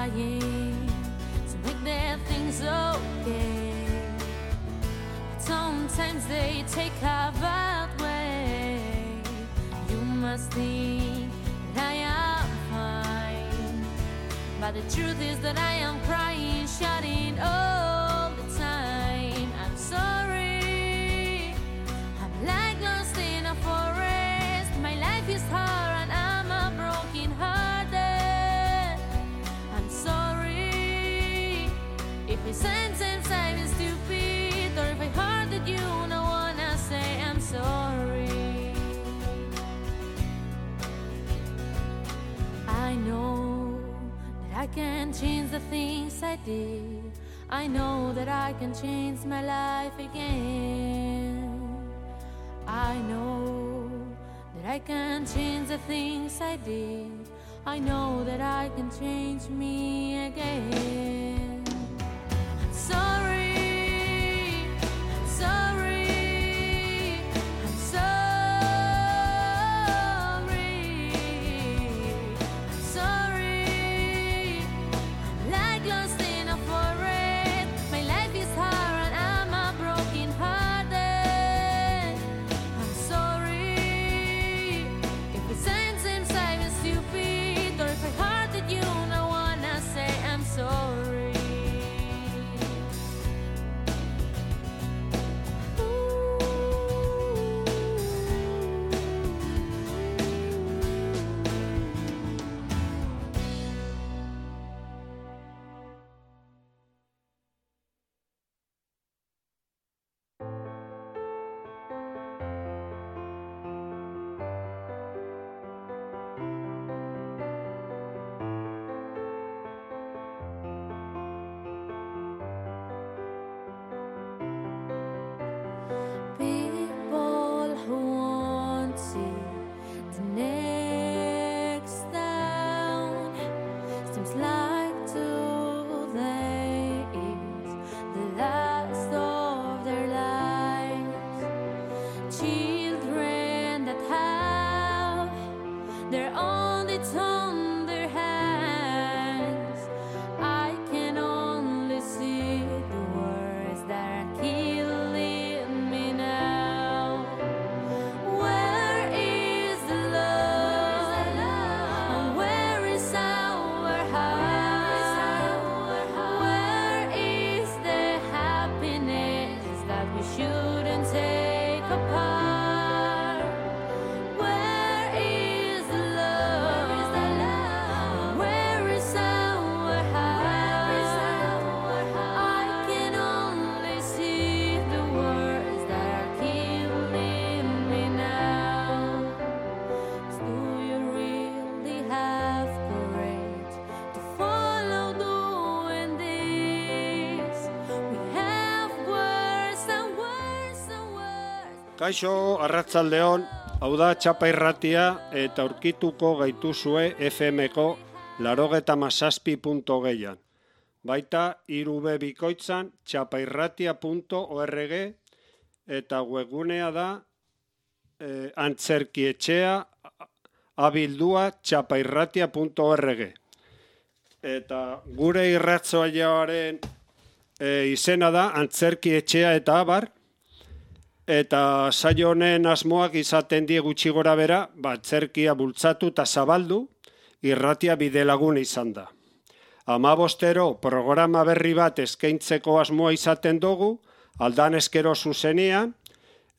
trying to make their things okay. But sometimes they take a bad way. You must think that I am fine, but the truth is that I am crying, shouting all the time. I'm sorry, I'm like lost in a forest. My life is hard and I'm a broken hearted. I'm sorry if I sometimes I'm stupid, or if I hurted you, no wanna say I'm sorry. I know that I can change the things I did. I know that I can change my life again. I know that I can change the things I did. I know that I can change me again. I'm sorry, I'm sorry, I'm sorry, I'm like lost in a forest. My life is hard and I'm a broken hearted. I'm sorry if it seems I'm stupid, or if I hurted you, no wanna say I'm sorry. People who won't see the next down, seems like today is the last of their lives. Children that have their own it's on their hands. I can only see the words that are killing me now. Where is the love? And where is our heart? Where is the happiness that we shouldn't take apart? Where is the love? Where is our heart? I can only see the words that are killing me now. Do you really have courage to follow doing this? We have worse and worse and worse. Kaixo, arratsaldeon, hau da Txapa Irratia eta aurkituko gaituzue FM-ko 87.6an. Baita 3B bikoitzan txapairratia.org eta webgunea da antzerkietxea abildua txapairratia.org. Eta gure irratzoaiaren izena da antzerkietxea eta abar. Eta saio honen asmoak izaten die gutxi gora bera, antzerkia bultzatu eta zabaldu, irratia bidelagun izan da. 15 programa berri bat eskaintzeko asmoa izaten dugu, aldan eskero zuzenean,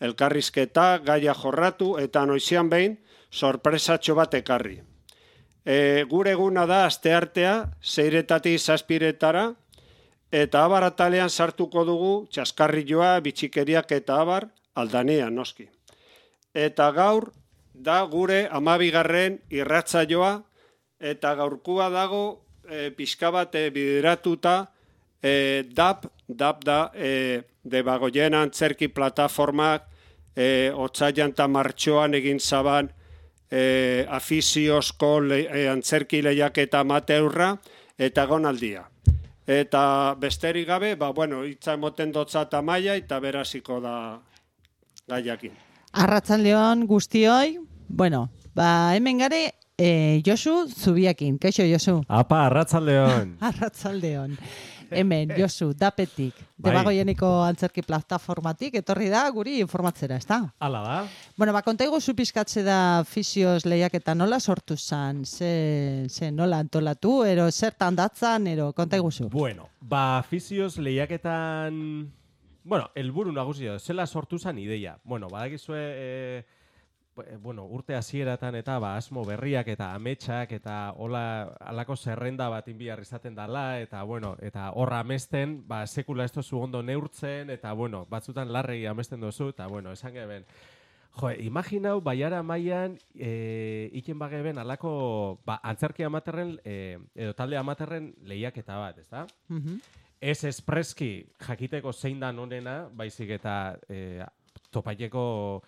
elkarrizketa, gaia jorratu eta noizean behin sorpresatxo bat ekarri. Gure eguna da asteartea, 6:00 7:00, eta abar atalean sartuko dugu txaskarrilloa, bitxikeriak eta abar, aldanean noski. Eta gaur da gure 12. irratsaioa, eta gaurkua dago pixka bat bideratuta DAP da Debagoien antzerki plataformak otsailean eta martxoan egin zaban afiziozko antzerki lehiaketa amateurra eta gonaldia. Eta besterik gabe, hitza emoten dotza eta maia eta beraziko da gaiakin. Arratsaldeon guztioi, hemen gare Josu Zubiakin. Kaixo, Josu. Apa, arratsaldeon. Arratsaldeon. Hemen, Josu, dapetik. Bai. Debagoieneko antzerki plataformatik, etorri da guri informatzera, ez da? Hala da. Bueno, kontaigu zu pizkatze da Fisios lehiaketa nola sortu zan? Ze nola antolatu, ero zertan datzan, ero kontaigu zu? Bueno, Fisios lehiaketan... Bueno, helburu nagusia, zela sortu zan ideia. Bueno, badakizue... urte hasieratan eta asmo berriak eta ametsak eta halako zerrenda bat inbiar izaten dala eta eta horra amesten sekula ez dozu ondo neurtzen eta batzutan larregi amesten dozu eta esan geben imaginau baiara mailan iken bageben halako antzerki amaterren edo talde amaterren lehiaketa bat, ezta? Ez espreski jakiteko zein da onena, baizik eta topaileko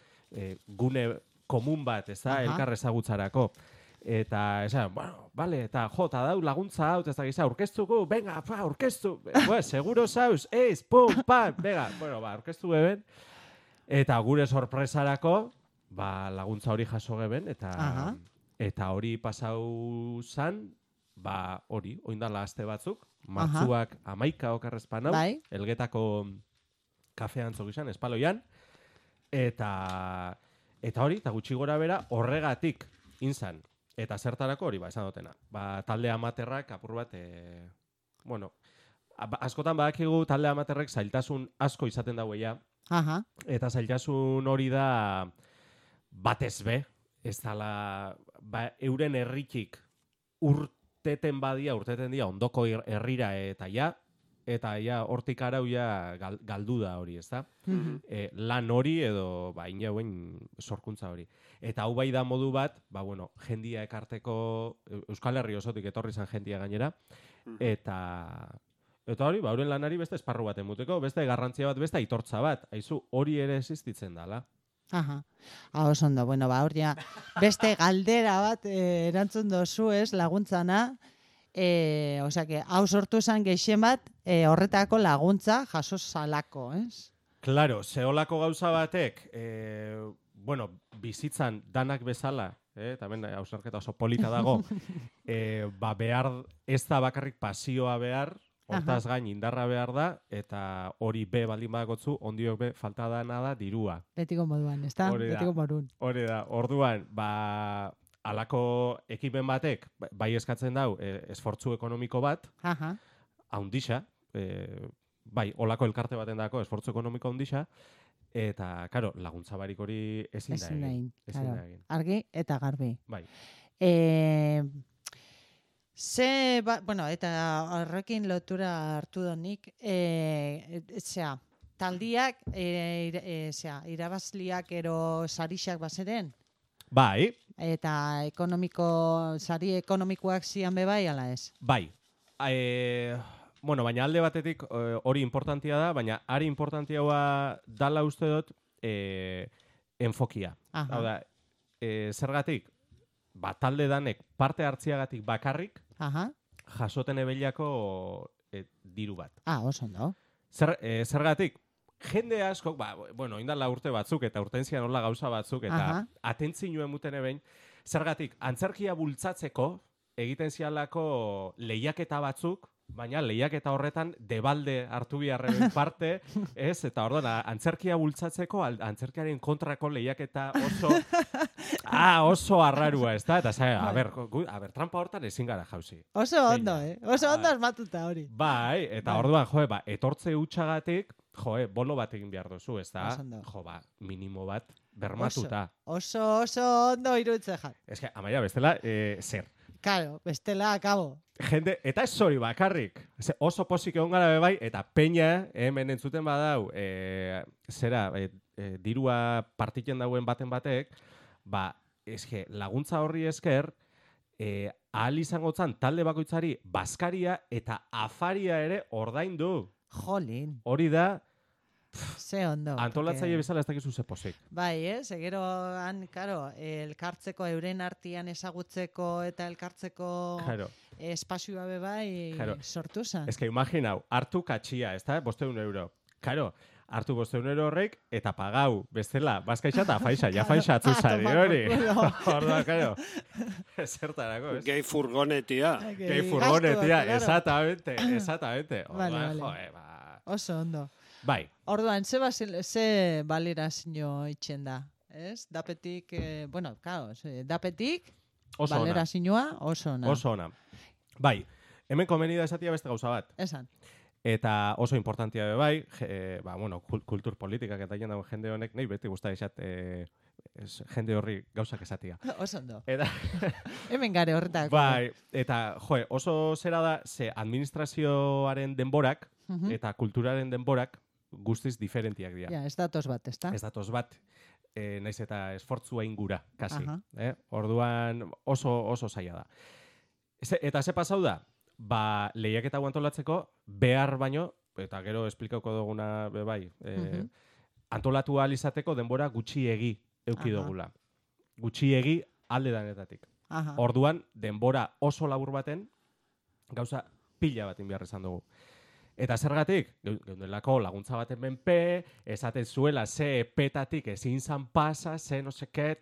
gune komun bat, ez da, elkar ezagutzarako. Eta, esan, bale, eta ta dau laguntza hau, ez da giza, aurkeztuko, venga, aurkeztu, seguro zauz, pum, pam, venga, aurkeztu geben, eta gure sorpresarako, laguntza hori jaso geben, eta hori pasau zan, hori, oindala aste batzuk, martzuak 11 okarrezpan hau, Elgetako kafean zogizan, espaloian, Eta hori, eta gutxi gora bera, horregatik inzan. Eta zertarako hori, esan dutena. Talde amaterrak, apur bat, askotan badakigu talde amaterrek zailtasun asko izaten daueia. Eta zailtasun hori da batez be. Ez dala, euren herritik urteten dia, ondoko herrira eta ja, eta hortik arau galdu da hori, ezta? Lan hori edo inauen sorkuntza hori. Eta hau bai da modu bat, jendia ekarteko, Euskal Herri osotik etorri zan jendia gainera, eta hori, euren lanari beste esparru bat emuteko, beste garrantzia bat, beste aitortza bat, haizu hori ere existitzen dala. Oso ondo, hor ja, beste galdera bat erantzun dozu ez, laguntzana, hau sortu esan geixen bat, horretako laguntza jaso zalako, ez? Claro, zeolako gauza batek, bizitzan danak bezala, tamen hausnarketa oso polita dago, behar ez da bakarrik pasioa behar, hortaz gain indarra behar da, eta hori be baldin badakotzu, ondiok be falta dana da dirua. Betiko moduan, ez da? Betiko modun. Hori da, orduan, halako ekipen batek, bai eskatzen dau, esfortzu ekonomiko bat, haundixa, olako elkarte baten dako, esfortzu ekonomiko haundixa, eta, karo, laguntza barik hori ezin da egin. Argi eta garbi. Bai. Eta horrekin lotura hartu donik, taldiak, irabazliak ero sarixak bazeren? Bai. Eta sari ekonomikoak zian bebai, ala ez? Bai. Baina alde batetik hori importantia da, baina ari importantiagoa dala uste dut enfokia. Hau da, zergatik, talde danek parte hartziagatik bakarrik, jasoten ebeliako diru bat. Oso ondo. Zergatik, jende asko, indala urte batzuk eta urtentzia nola gauza batzuk eta atentzioen muten ebein, zergatik, antzerkia bultzatzeko egiten zialako lehiaketa batzuk, baina lehiaketa horretan debalde hartu biharren parte, ez? Eta orduan, antzerkia bultzatzeko, antzerkiaren kontrako lehiaketa oso arrarua, ez da? Eta trampa hortan ezin gara jauzi. Oso ondo, Oso ondo asmatuta hori. Bai, eta orduan, etortze hutsagatik, bolo bat egin behar duzu, ez da? Minimo bat bermatuta. Oso ondo iruditzen jat. Ez que, amaia, bestela, zer? Karo, bestela, akabo. Jende, eta ez hori bakarrik. Oso pozik egon gara bebai, eta peña, hemen entzuten badau, dirua partitzen dauen baten batek, laguntza horri esker, ahal izango zan talde bakoitzari bazkaria eta afaria ere ordaindu. Jolin. Hori da, ze ondo. Antolatzaile bezala ez dakizu ze pozik. Bai, gero elkartzeko, euren artian ezagutzeko eta elkartzeko espazioa bebai sortu zen. Ez que imaginau, hartu katxia, ez da, 500 euro. Karo, hartu 500 euro horrek, eta pagau, bestela, bazkaitxa eta faixa, ja faixa atzuzari, hori. Orduan, karo, zertarako, ez? Gehi furgonetia. Gehi furgonetia, exactamente. Vale. Oso ondo. Bai. Orduan, ze balerazio itxen da, ez? Dapetik, dapetik, Oso ona. balerazioa oso ona. Oso ona. Bai, hemen komeni da esatia beste gauza bat. Esan. Eta oso importantia be bai, kultur politikak eta jendago jende honek, nahi beti guztai esat, jende horri gauzak esatia. Oso ondo. Eta, Hemen gare horretako. bai, eta oso zera da, ze administrazioaren denborak eta kulturaren denborak guztiz diferentiak dira. Ja, ez datoz bat, ezta? Ez datoz bat, naiz eta esfortzua ingura, kasi. Aha. Orduan oso zaila da. Eta ze pasau da? Ba, lehiaketa antolatzeko behar baino, eta gero esplikauko duguna bai, antolatu ahal izateko denbora gutxiegi eduki dugula. Gutxiegi alde danetatik. Aha. Orduan, denbora oso labur baten, gauza pila batin behar izan dugu. Eta zergatik, geundelako laguntza baten menpe, esaten zuela ze epetatik ezin zan pasa, ze no seke,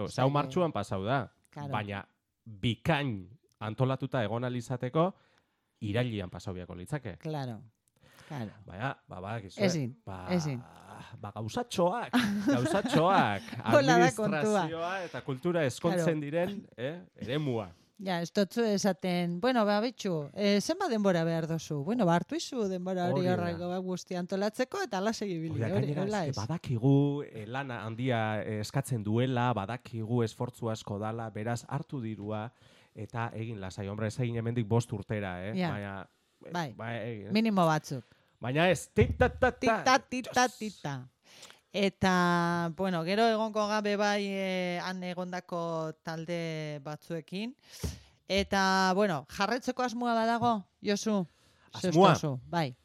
Zau martxuan pasau da. Claro. Baina bikain antolatuta egon alizateko, irailian pasau biako litzake. Claro. Baina, badakizu. Ezin. Gauzatxoak, Hola da kontua. administrazioa eta kultura eskontzen diren, eremua. Ja, ez dutzu esaten, bitxu, zenba denbora behar dozu? Hartu izu denbora hori horreko guzti antolatzeko eta ala segibili. Badakigu lana handia eskatzen duela, badakigu esfortzu asko dala, beraz hartu dirua, eta egin lasai, hombre, ez egin hemendik 5 urtera, Ja. Baina, Minimo batzuk. baina ez, tita. Eta, gero egongo gabe bai han egondako talde batzuekin. Eta, jarretzeko asmoa badago, Josu? Asmoa? Bai.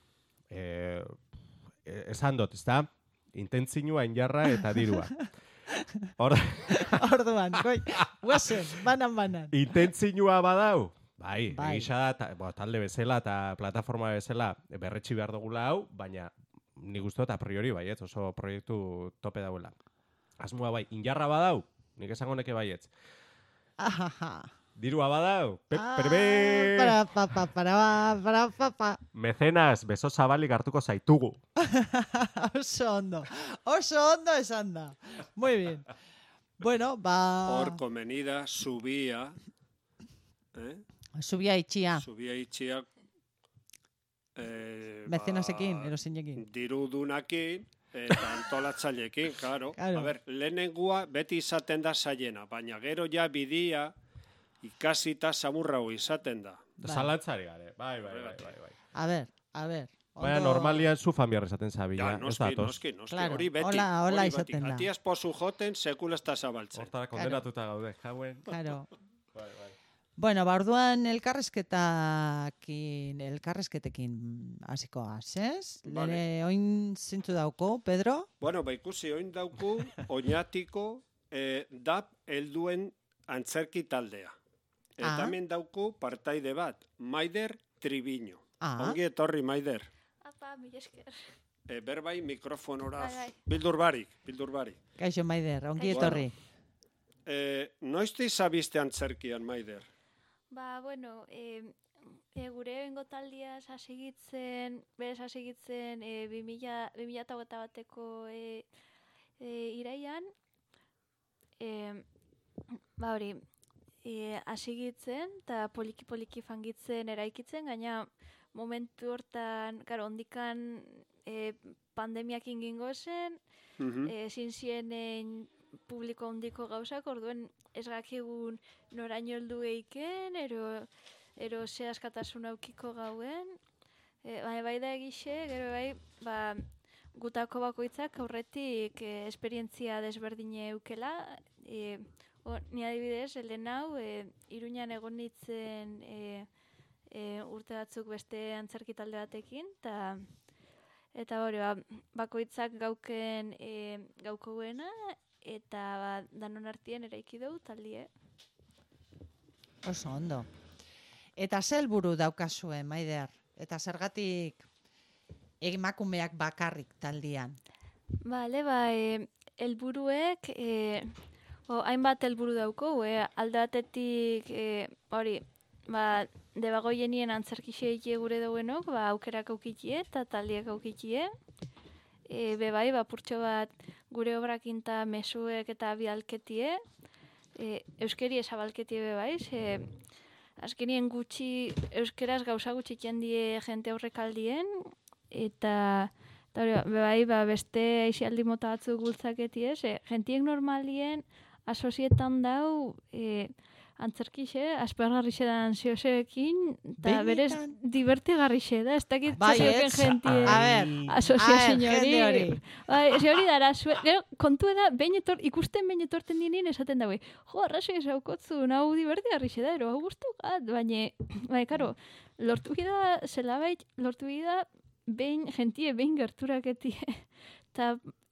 Esan dut, ezta? Intentzioa, injarra eta dirua. Orduan, guazen, banan. Intentzioa badau? Bai. Bai. Talde bezala eta plataforma bezala berretsi behar dugula hau, baina nik uste dut a priori baietz, oso proiektu tope dauela. Asmoa bai, injarra badau, nik esango neke baietz. Dirua badau, perbe! Para. Mecenas, beso zabalik hartuko zaitugu. Oso ondo esan da. Muy bien. Hor komenida, subia. Subia itxia. Mecenasekin, erozinekin. Dirudunakin eta antolatzailekin, claro. A ber, lehenengua beti izaten da zaiena, baina gero ja bidia ikasita samurrau izaten da. Zalantzari gare, bai. A ber. Baina normalian zu familiar esaten zabila, Ja, noski. Claro, Hori beti. hola izaten da. Atiaz pozu joten, sekula ez da zabaltzen. Hortara kondenatuta gaude, jauen. Claro. Bai. Orduan elkarrezketekin hasiko gaz, ez? Vale. Oin zintzu dauko, Pedro? Ikusi, oin dauku, oinatiko, DAP helduen antzerki taldea. Eta hemen dauku partaide bat, Maider Triviño. Ongi etorri, Maider. Apa, mila esker. Berbai mikrofonora, Bai. bildur barik. Kaixo, Maider, ongi etorri. Noizte izabiste antzerkian, Maider? Gure bengo taldia sasegitzen 2021ko iraian, hasigitzen eta poliki fangitzen eraikitzen, gaina momentu hortan, ondikan pandemiak ingingo zen, ezin zienen publiko handiko gauzak, orduen ez gakigun noraino heldu eiken, ero ze askatasun aukiko gauen. Bai da egixe, gero gutako bakoitzak aurretik esperientzia desberdine eukela. Ni adibidez, helen hau, Iruñan egon nintzen urte batzuk beste antzerki talde batekin, eta bakoitzak gaukoena, eta danon artien eraiki dugu taldie. Oso ondo. Eta ze helburu daukazue, Maider? Eta zergatik emakumeak bakarrik taldean? Bale, helburuek, hainbat helburu dauko, alde batetik, hori, debagoienien antzerkixe gure dauenok, aukerak aukitie eta taldiak aukitie. Bebai, purtxo bat gure obrakinta mesuek eta bialketie, euskeri esabalketie bebai, azkenien gutxi, euskeraz gauza gutxi jendie jente horrekaldien, eta bebai, beste aixialdi mota batzuk gultzaketie, jentiek normalien asozietan dau, antzerkixe, aspergarrixe da ansioseekin, eta berez divertigarrixe da, ez dakit zezoken jentie asoziazin hori. Eze hori dara, kontu da, ikusten behin etorten dinin esaten daue, arrazoi esaukotzu, hau divertigarrixe da, hau guztukat, baina, karo, lortu gida, zelabait, lortu gida, jentie behin gerturaketie,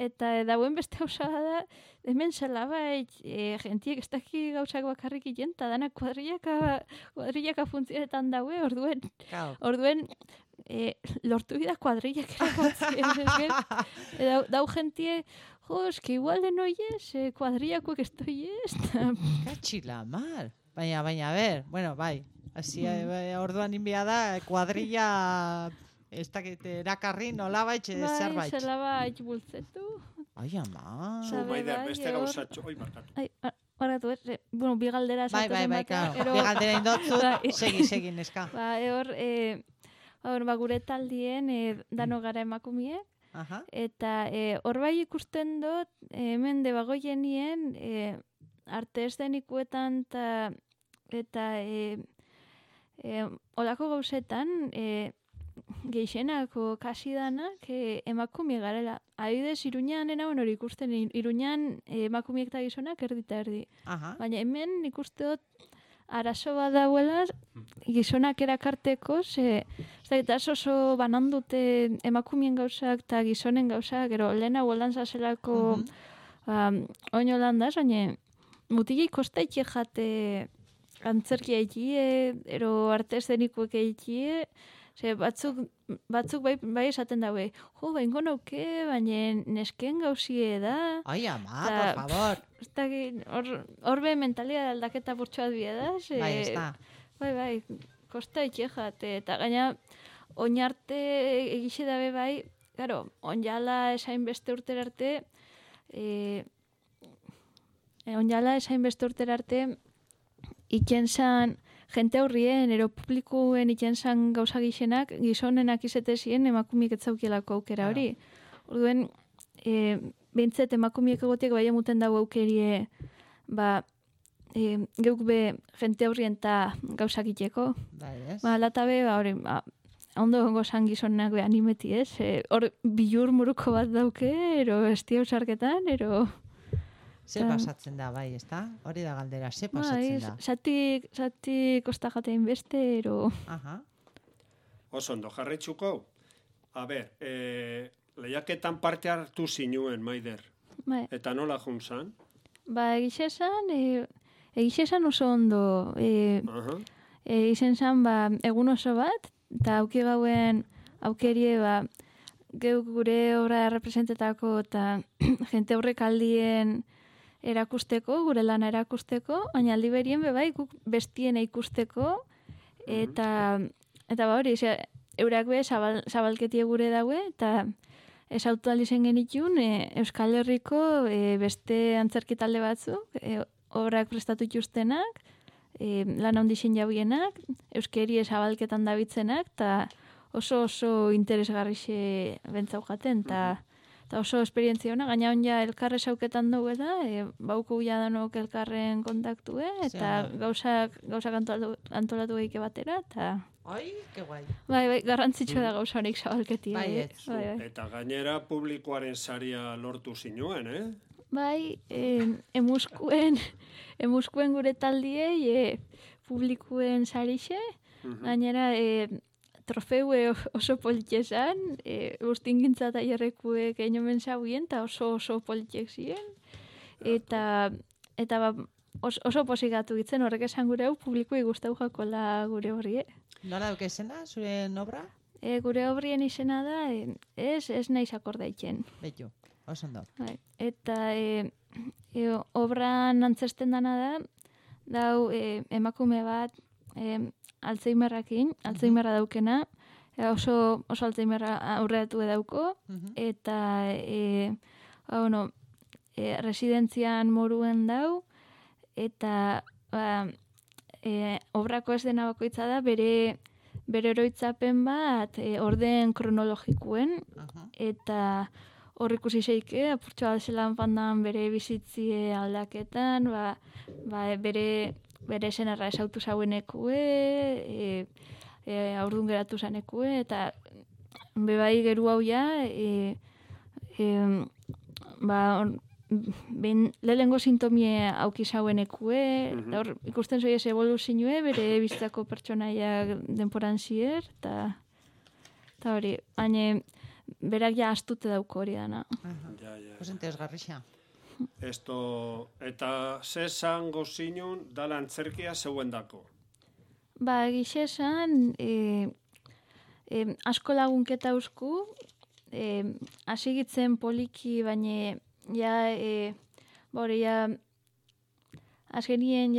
eta dauen beste gauza da, hemen zelabait, jentiek ez daki gauzak bakarrik iten, eta danak kuadrillaka funtzionetan daue, orduen lortu gida kuadrillak erakotzen. Dau jentie, eski igual de noiez, kuadrillakoek ez doiez. Katxila, mal. Baina, ber, bueno, bai. Orduan inbia da, kuadrilla... Ez dakit, erakarri nolabait zerbait. Bai, zelabait bultzetu. Ai, ama. Maider, beste gauzatxo. Oi, markatu. Barkatu, bi galdera zaten bat. Bi galdera indotzu, segi, neska. Gure taldien, dano gara emakumie. Eta hor bai ikusten dut, hemen debagoienien, arte eszenikuetan eta olako gauzetan, geixenako kasi danak emakumie garela. Adibidez, Iruñan hori ikusten, Iruñan emakumiek eta gizonak erdita erdi. Baina hemen ikusteot arazo bat dauela gizonak erakarteko, eta oso banandute emakumien gauzak eta gizonen gauzak, gero lehena hueldan zazelako oino landaz, baina mutilei kostaitxe jate antzerkia egitie, ero arte eszenikuek egitie, batzuk bai esaten daue, baingo nauke, baina nesken gauzie da. Ai, ama, por favor. Horbe mentalia aldaketa burtsuat bie da. Bai, ez da. Bai, kosta itxejate. Eta gaina, oinarte egixe dabe bai, garo, onjala esain beste urter arte, ikentzan, jente aurrien, ero publikoen ikentzan gauza gixenak, gizonenak izetezien emakumiek etzaukielako aukera hori. Orduen, behintzet emakumiek egotiek bai emuten dago aukerie, geuk be jente aurrien eta gauzak iteko. Lata be, ondo gongo zan gizonenak be animeti, ez? Hor bilur muruko bat dauke, ero estia usarketan, ero... Ze pasatzen da, bai, ez da? Hori da galdera, ze pasatzen da? Zati kosta jatein beste, ero... Oso ondo, jarritxuko? A ber, lehiaketan parte hartu zinuen, Maider. Eta nola juntzan? Egixesan oso ondo. Izen zan, egun oso bat, eta auki gauen aukerie, geuk gure obra representetako, eta jente horrek aldien erakusteko, gure lana erakusteko, baina aldi berien bebai guk bestien ikusteko, eta hori, eurak be zabalketie gure daue, eta ez autoalizen genitun Euskal Herriko beste antzerki talde batzuk, obrak prestatu ituztenak, lan handixen jauienak, euskeri zabalketan dabitzenak, eta oso interesgarrixe bentzau jaten, eta oso esperientzia hona, gaina onja elkarre sauketan dugu da, bauku jadanok elkarren kontaktue, eta gauzak antolatu geike batera, eta... Ai, que guai. Bai, garrantzitsua da gauza honik zabalketia. Bai, eta gainera publikoaren saria lortu zinuen, Bai, emuskuen gure taldiei publikuen sarixe, gainera trofeue oso politxezan, ustingintza tailerrekuek einomen zauien, eta oso politxek ziren. Eta oso posigatu gitzen, horrek esan gure hau publikoi guztau jakola gure horri, Nola dukezena, zure obra? gure obrien izena da, ez naiz akordaitzen. Betu, oso ondo. Eta obran antzesten dana da, dau emakume bat Alzheimerra daukena, oso Alzheimerra aurreatu edauko, eta residentzian moruen dau, eta obrako ez dena bakoitza da, bere oroitzapen bat orden kronologikuen, eta hor ikusi zeike, apurtxo alzelan pandan bere bizitzie aldaketan, bere senarra esautu zauenekue, aurdun geratu zanekue, eta bebai geru hau ja, lehengo sintomie auki zauenekue, eta hor ikusten zoiez evoluzioe, bere biztako pertsonaiak denporan zier, eta hori, baina berak ja astute dauko hori dana. Pues interesgarrixa. Eta zesan gozinun dala antzerkia zeuen dako? Egixe esan, asko lagunketa eusku, hasigitzen poliki, baina azkenien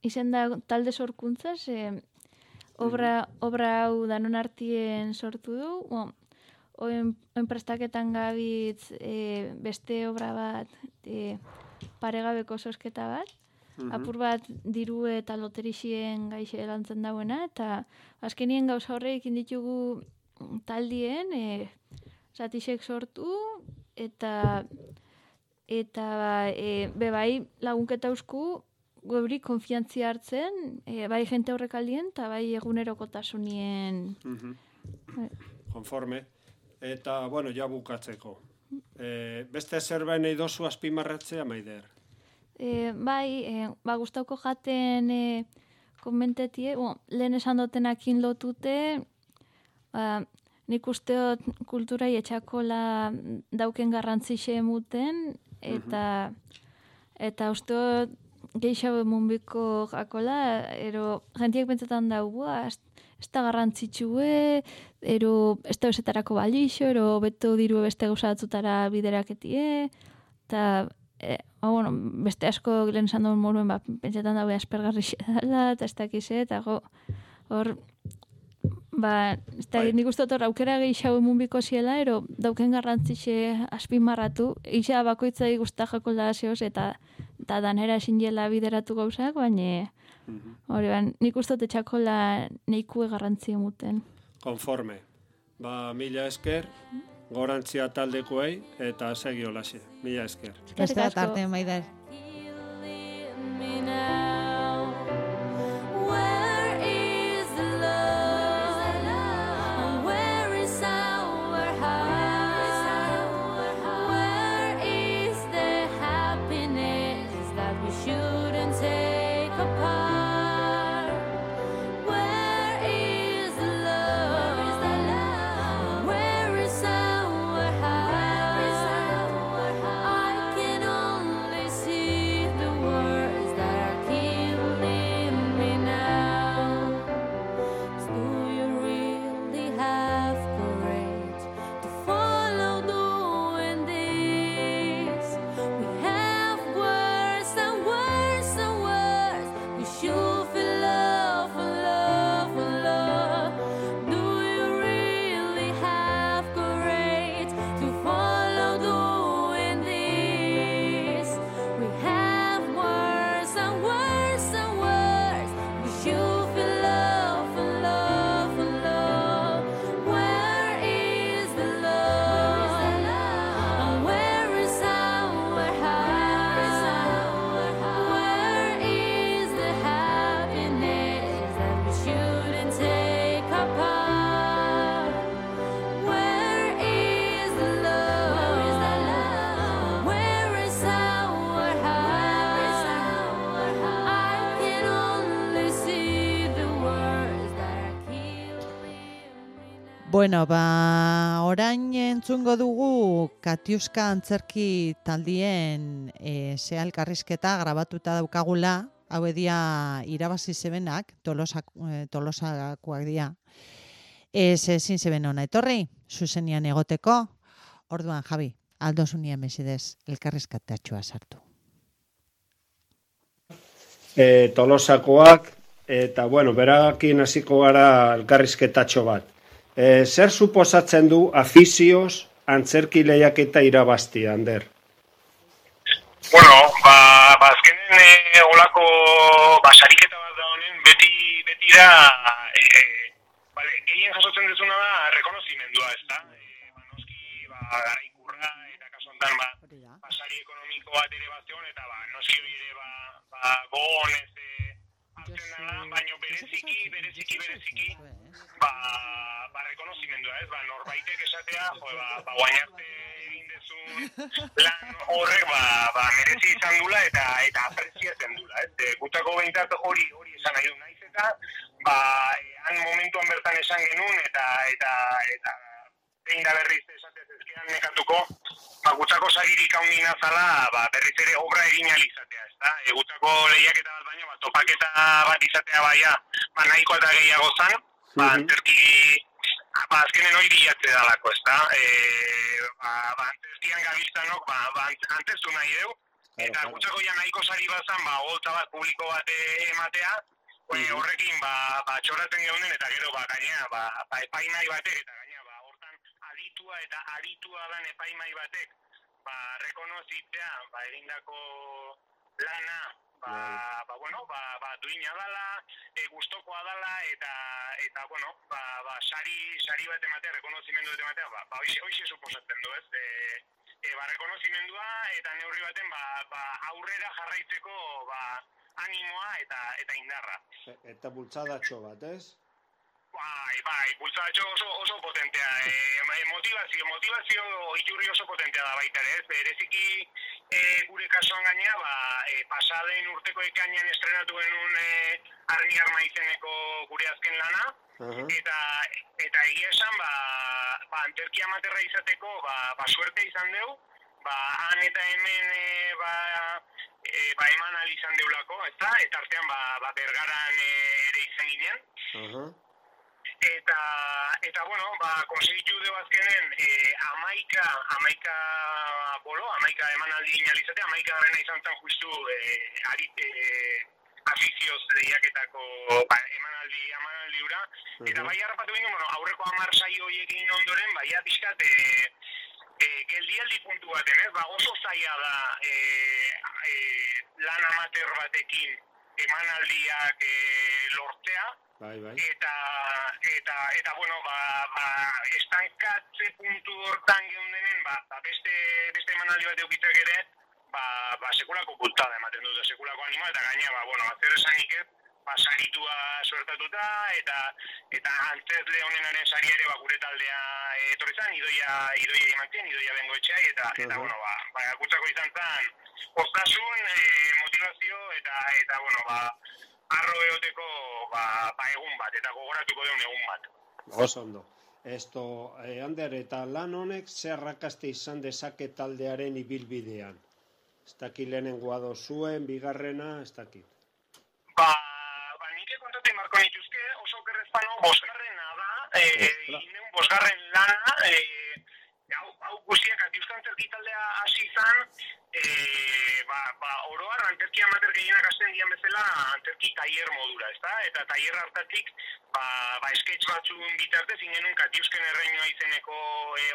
izen da talde sorkuntzaz, obra hau danon artien sortu du, oen prestaketan gabitz beste obra bat, paregabeko sosketa bat, apur bat diru eta loterixien gaixe lantzen dauena, eta azkenien gauza horreik inditugu taldien, zatisek sortu, eta bebai lagunketa eusku, gobri konfiantzia hartzen, bai jente horrek aldien, eta bai egunerokotasunien. Konforme. Eta, ja bukatzeko. Beste zerbait nahi dozu azpimarratzea, Maider? Gustauko jaten konmentetie, lehen esan dotenakin lotute, nik usteot kulturai etxakola dauken garrantzixe emuten, eta usteot geixabe munbiko jakola, jentiek pentsetan dago, ez da garrantzitsue, ez da besetarako balixo, beto diru beste gauzatzutara bideraketie, eta beste asko lehen esan duen moruen, pentsetan dago aspergarri dela, eta ez dakize, eta hor, nik uste dut aukera gehiago munbiko ziela, dauken garrantzixe azpimarratu, isa bakoitzai guzta jako lazioz, eta danera esinela bideratu gauzak, baina nik uste dut etxakola neikue garrantzia muten. Konforme. Mila esker, gorantzia taldekoei, eta segi holaxe. Mila esker. Beste bat arte, Maider. Bueno, orain entzungo dugu Katiuska antzerki taldien elkarrizketa grabatuta daukagula, hau edia irabazi zebenak, Tolosakoak dira. Ezin zeben hona etorri, zuzenian egoteko, orduan Javi, aldozunia mesedez, elkarrizkatatxoa sartu. Tolosakoak, eta bueno, berakin hasiko gara elkarrizketatxo bat. Zer suposatzen du afizioz antzerki lehiaketa irabaztia, Ander? Bueno, azkenen olako sariketa bat da honen, betira gehien jasotzen dezuna da rekonozimendua, ez da? Noski, garaikurra, eta kasu honetan, sari ekonomiko bat ere bazteon, eta noski hori ere gogon ez hartzen da, baina bereziki, rekonozimendua, ez? Norbaitek esatea, guain arte egin dezun lan horrek, merezi izan dula eta apreziatzen dula, ez? Gutako behintzat hori esan nahi du naiz eta, han momentuan bertan esan genuen eta egin da berriz esatez ezkean nekatuko, gutako sagirik haundina zala, berriz ere obra egin alizatea, ez da? Gutako lehiaketa bat baino, topaketa bat izatea nahiko eta gehiago zan, antzerki, azkenen hori bilatze dalako, ez da? Antzerkian gabiltzanok, antzestu nahi deu, eta gutako ja nahiko sari bazan, holtza bat publiko bat ematea, horrekin txoratzen geunden, eta gero gainera, epaimai batek, eta gainera, hortan aditua eta aditua dan epaimai batek, rekonozitzea, egindako lana, duina dala, gustokoa dala, eta sari bat ematea, rekonozimendu bat ematea, hoxe suposatzen du, ez? Rekonozimendua, eta neurri baten, aurrera jarraitzeko, animoa eta indarra. Eta bultzadatxo bat, ez? Bultzadatxo oso potentea. Motivazio iturri oso potentea da baita ere, ez? Bereziki gure kasuan gainea, pasaden urteko ekainean estrenatu genuen Arni Arma izeneko gure azken lana, eta egia esan, antzerki amaterra izateko, suerte izan deu, han eta hemen eman alizan deulako, eta artean Bergaran ere izan ginen. Eta bueno, konsegitu deu azkenen amaika emanaldi inalizatea, amaika garena izan zen justu afizioz lehiaketako emanaldi ura. Eta bai harrapatu ginen, aurreko 10 saio horiek egin ondoren, baia pixkat geldialdi puntu baten, ez? Oso zaila da lan amateur batekin emanaldiak lortzea, eta bueno, estankatze puntu hortan geundenen, beste emanaldi bat eukitzak ere, sekulako bultada ematen dute, sekulako anima, eta gaina, zer esanik ez, saritua suertatuta, eta antzezle honenaren sari ere gure taldea etorri zan, idoia imantzen, idoia bengoetxeai, eta bueno, gutzako izan zan, postasun, motivazio, eta bueno, arro eoteko egun bat, eta gogoratuko deun egun bat. Oso ondo. Ander, eta lan honek zer arrakaste izan dezake taldearen ibilbidean? Ez dakit lehenengoa dozuen, bigarrena, ez dakit. Nik kontatu marko nituzke, oso kerrezpano, bosgarrena da, ineun bosgarren lana, hau guztiak atiuzko antzerki taldea hasi izan, oroar antzerki amater gehienak hasten dian bezala antzerki tailer modura, ezta? Eta tailer hartatik, sketch batzun bitartez ingenun Katiuzken erreinoa izeneko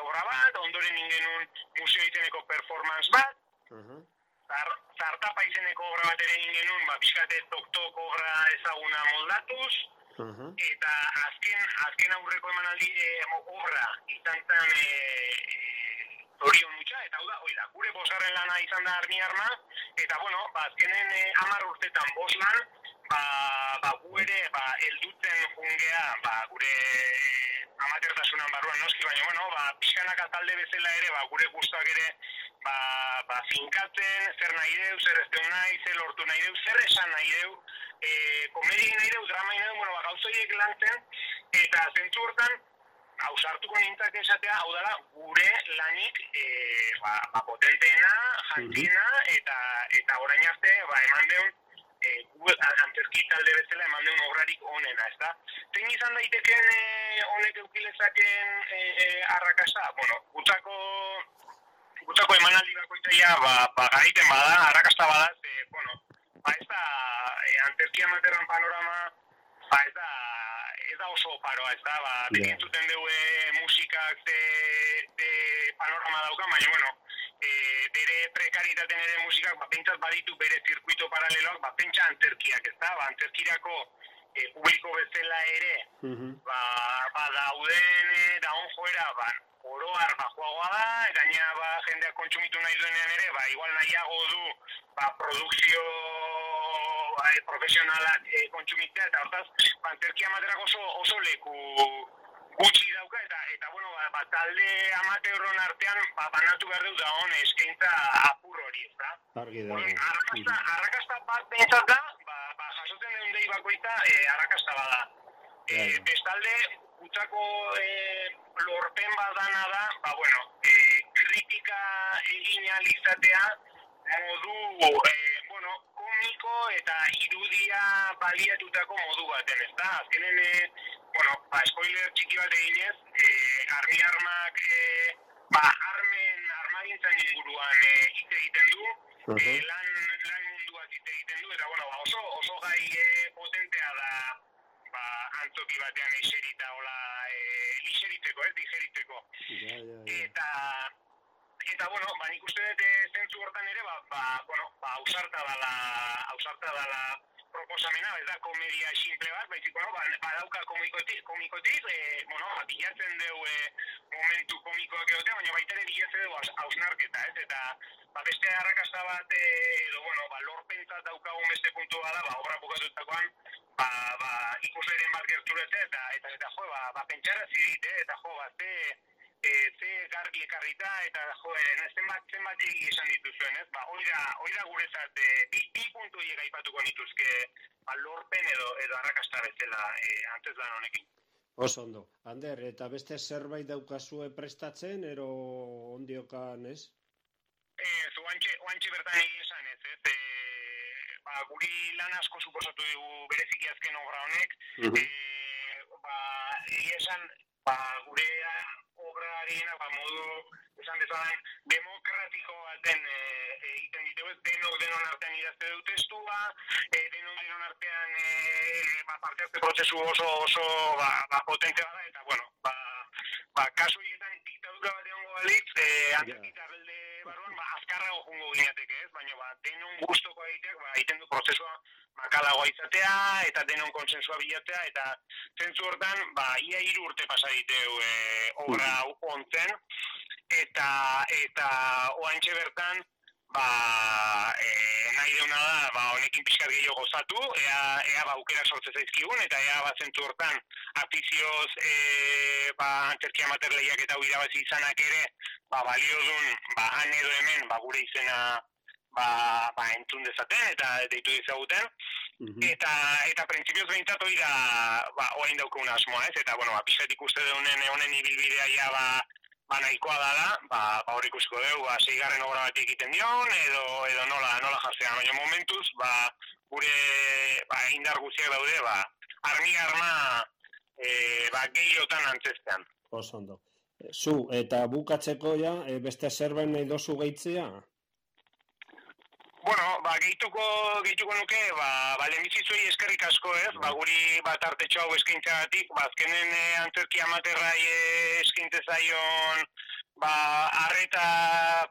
obra bat, ondoren ingenun museo izeneko performance bat, Zartapa izeneko obra bat ere egin genuen, pixkate tok-tok obra ezaguna moldatuz, eta azken aurreko emanaldi obra izan zen Zorion utxa, eta hau da, gure bosgarren lana izan da Arni Arma, eta bueno, azkenen 10 urtetan 5 lan, gu ere heldutzen jungea, gure amatertasunan barruan noski, baina bueno, pixkanaka talde bezala ere, gure guztuak ere, finkatzen, zer nahi deu, zer ez deu nahi, zer lortu nahi deu, zer esan nahi deu, komedi nahi deu, drama nahi deu, gauzoiek lantzen, eta zentzu hortan, hausartuko nintzak esatea, hau dela, gure lanik potenteena, jantziena, eta orain arte, eman deun, antzerki talde bezala eman duen obrarik onena, ezta? Zein izan daiteken honek eukilezaken arrakasta? Bueno, gutzako emanaldi bakoitzaia garaiten bada, arrakasta bada, ez da antzerki amaterran panorama, ez da oso oparoa, ez da, beti entzuten dugu musikak de panorama dauka, baina, bere prekaritaten ere musikak, pentsat baditu bere zirkuito paraleloak, pentsa antzerkiak, ez da, antzerkirako publiko bezala ere, dauden, daun joera, oroar joagoa da, gaina jendeak kontsumitu nahi duenean ere, igual nahiago du, produkzio profesionalak kontsumitzea, eta hortaz, antzerki amaterak oso leku gutxi dauka, eta talde amateurron artean, banatu behar dut da hon eskaintza apur hori, ez da? Arrakasta bat behintzat da, jasotzen den dei bakoita, arrakasta bada. Bestalde, gutzako lorpen badana da, kritika egin alizatea, modu, komiko eta irudia baliatutako modu baten, ez da? Azkenen, spoiler txiki bat eginez, Armi Armak armagintzan inguruan hitz egiten du, lan munduaz hitz egiten du, eta oso gai potentea da antzoki batean eserita, lixeritzeko, digeritzeko. Eta, nik uste dut zentzu hortan ere, ausarta dala proposamena, ez da komedia simple bat, baizik, badauka komikotik, bilatzen dugu momentu komikoak egotea, baina baita ere bilatzen dugu hausnarketa, ez? Eta, beste arrakasta bat, lorpentzat daukagun beste puntu bada, obra bukatutakoan, ikusleren bat gerturatzea, eta pentsara zidit, eta ze garbi ekarrita, eta zenbat egi esan dituzuen, ez? Hoi da guretzat, bi puntu hiek aipatuko nituzke lorpen edo arrakasta bezala antzezlan honekin. Oso ondo. Ander, eta beste zerbait daukazue prestatzen, ero ondiokan, ez? Oantxe bertan egin esan, ez? Guri lan asko suposatu dugu bereziki azken obra honek, egin esan, gure obra gehiena, modu, esan bezala, demokratiko baten egiten ditugu, denon artean idazte dut testua, denon artean parte hartze prozesu oso potente bada, eta, kasu horietan diktadura bat egongo balitz, antzerkitarrelde barruan, azkarrago jungo gineateke, ez? Baina, denon gustoko egiteak, egiten du prozesua makalagoa izatea, eta denon konsensua bilatzea, eta zentzu hortan, ia 3 urte pasa diteu obra ontzen, eta oantxe bertan, nahi deuna da, honekin pixkat gehiago gozatu, ea aukerak sortze zaizkigun, eta ea zentzu hortan, afizioz antzerki amater lehiak eta irabazi izanak ere, balio dun, han edo hemen, gure izena entzun dezaten, eta deitu dizaguten, eta printzipioz behintzat hori da, oain daukun asmoa, ez? Eta, pixkat ikuste deunen honen ibilbidea ja, nahikoa dala, hor ikusiko dugu, 6. obra bat egiten dion, edo nola jartzean. Baina momentuz, gure indar guztiak daude, armi arma gehiotan antzestean. Oso ondo. Zu, eta bukatzeko ja, beste zerbait nahi dozu gehitzea? Gehituko nuke, lehenbizitzuei eskerrik asko, ez? Guri tartetxo hau eskaintzagatik, azkenen antzerki amaterrai eskaintze zaion, arreta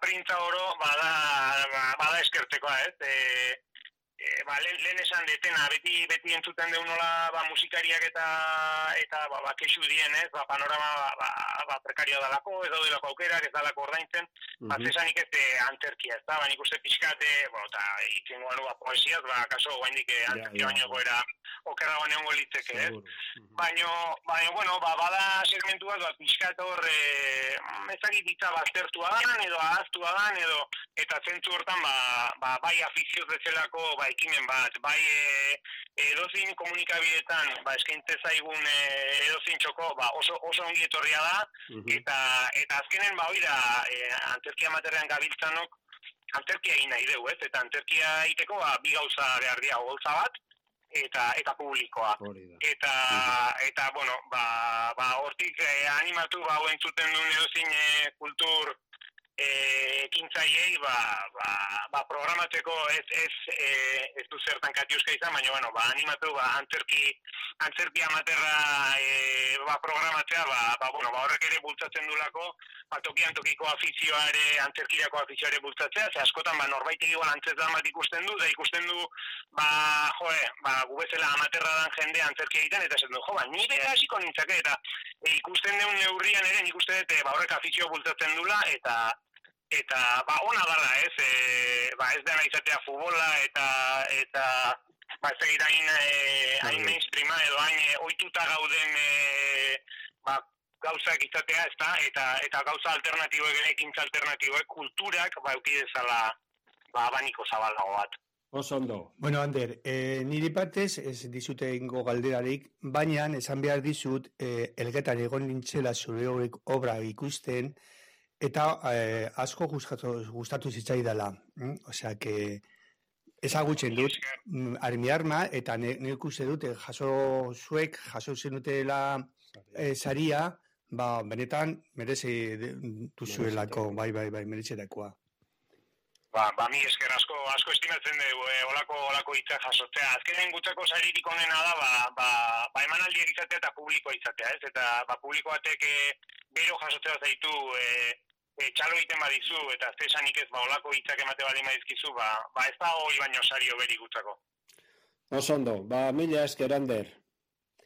printza oro, bada eskertzekoa, ez? Lehen esan detena, beti entzuten deun nola musikariak eta kexu dien, ez? Panorama prekarioa dalako, ez daudelako aukerak, ez dalako ordaintzen, zesanik ez antzerkia, ez da? Nik uste pixkate, eta itzen goan poesiaz, kaso guaindik antzerkia baino goera okerragoan egongo litzeke, ez? Baina, bada segmentu bat, pixkat hor, ezagit ditza baztertua dan, edo ahaztua dan, eta zentzu hortan, bai afizioz bezalako, ekimen bat, bai edozin komunikabidetan eskaintze zaigun edozin txoko oso ongi etorria da, eta azkenen hori da antzerki amaterrean gabiltzanok antzerkia egin nahi dugu, ez? Eta antzerkia egiteko bi gauza behar dira, oholtza bat, eta publikoa. Eta bueno, hortik animatu entzuten duen edozin kultur ekintzaileei programatzeko ez du zertan katiuska izan, baina bueno, animatu antzerki amaterra programatzea, horrek ere bultzatzen dulako, tokian tokiko afizioa ere, antzerkirako afizioa ere bultzatzea, ze askotan norbait igual antzerdan bat ikusten du, da ikusten du gu bezala amaterra dan jende antzerkia egiten, eta esaten du, nire hasiko nintzake, eta ikusten duen neurrian ere, nik uste dut horrek afizioa bultzatzen dula, eta ona dala, ez dena izatea futbola, eta ez egit hain mainstreama, edo hain ohituta gauden gauzak izatea, eta gauza alternatiboek ere, ekintza alternatiboek, kulturak, eukidezala abaniko zabalago bat. Oso ondo. Bueno, Ander, niri partez ez dizute ingo galderarik, baina esan behar dizut, elgetan egon nintzela zure obra ikusten, eta asko gustatu zitzaidala. Osea, que ezagutzen dut armi arma, eta nik uste dut jaso zenutela saria, benetan merezi duzuelako, bai, meretzerakoa. Mi esker asko estimatzen dugu, olako hitzak jasotzea. Azkenen gutzako saririk onena da, emanaldiak izatea eta publikoa izatea, ez? Eta publiko batek bero jasotzea zaitu, txalo egiten badizu, eta zesanik ez, olako hitzak emate badi maizkizu, ez da hori baino sario beri gutzako. Oso ondo, mila esker, Ander.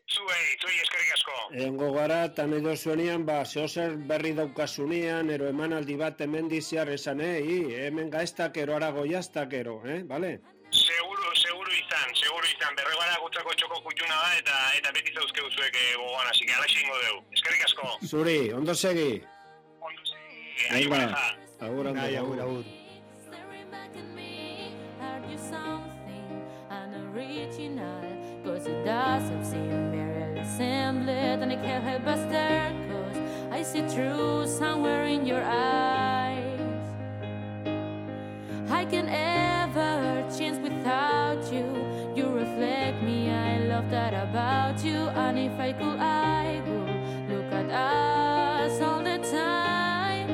Zuei eskerrik asko. Egongo gara, eta nahi dozuenean, zehozer berri daukasunean, ero emanaldi bat hemen diziar esan, hemen gaiztakero, arago jaztakero, bale? Seguru izan, berregara gutzako txoko kutxuna da, eta beti zauzke duzuek gogoan, hasi, alaxe ingo dugu. Eskerrik asko. Zuri, ondo segi. Agur, agur. Cause it doesn't seem very resembled, and I can't help but stare, cause I see truth somewhere in your eyes. I can't ever change without you. You reflect me, I love that about you. And if I could, I would look at us all the time.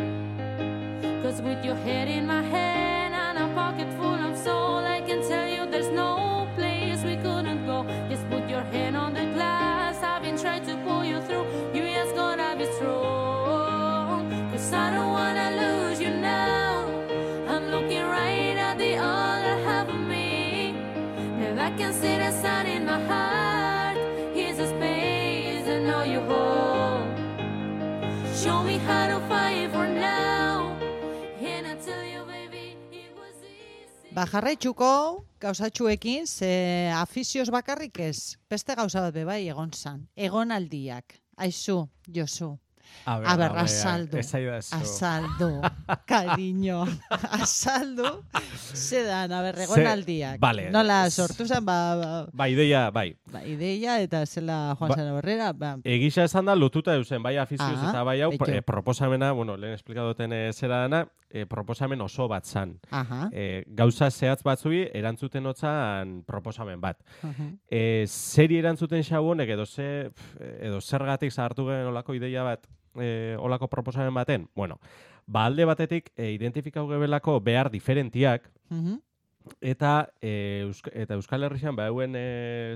Cause with your head in my hand and a pocket full of soul, I can tell you there's no place we couldn't go. Just put your hand on the glass, I've been trying to pull you through. You just gotta be strong, cause I don't wanna lose you now. I'm looking right at the other half of me, and I can see the sun in my heart. Here's a space I know you hold. Show me how to fight for now, and I tell you baby it was easy. Jarraitzuko gauzatxuekin, ze afizioz bakarrik ez, beste gauza bat bebai egon zan, egonaldiak, aizu, Josu. A ber, azaldu, cariño, azaldu, zedan, a ber, egonaldiak. Vale. Nola sortu zen, ideia, bai. Ideia, eta zela Juan Sara Borrera, Egisa esan da, lotuta eusen, bai afizioz eta bai hau, proposamena, lehen esplikadoten zera dana, proposamen oso bat zan. Gauza zehatz batzui erantzuten otzan proposamen bat. Zeri erantzuten xau honek edo zergatik zahartu gen olako ideia bat, olako proposamen baten? Alde batetik identifikau gebelako behar diferentiak, eta Euskal Herrian bauen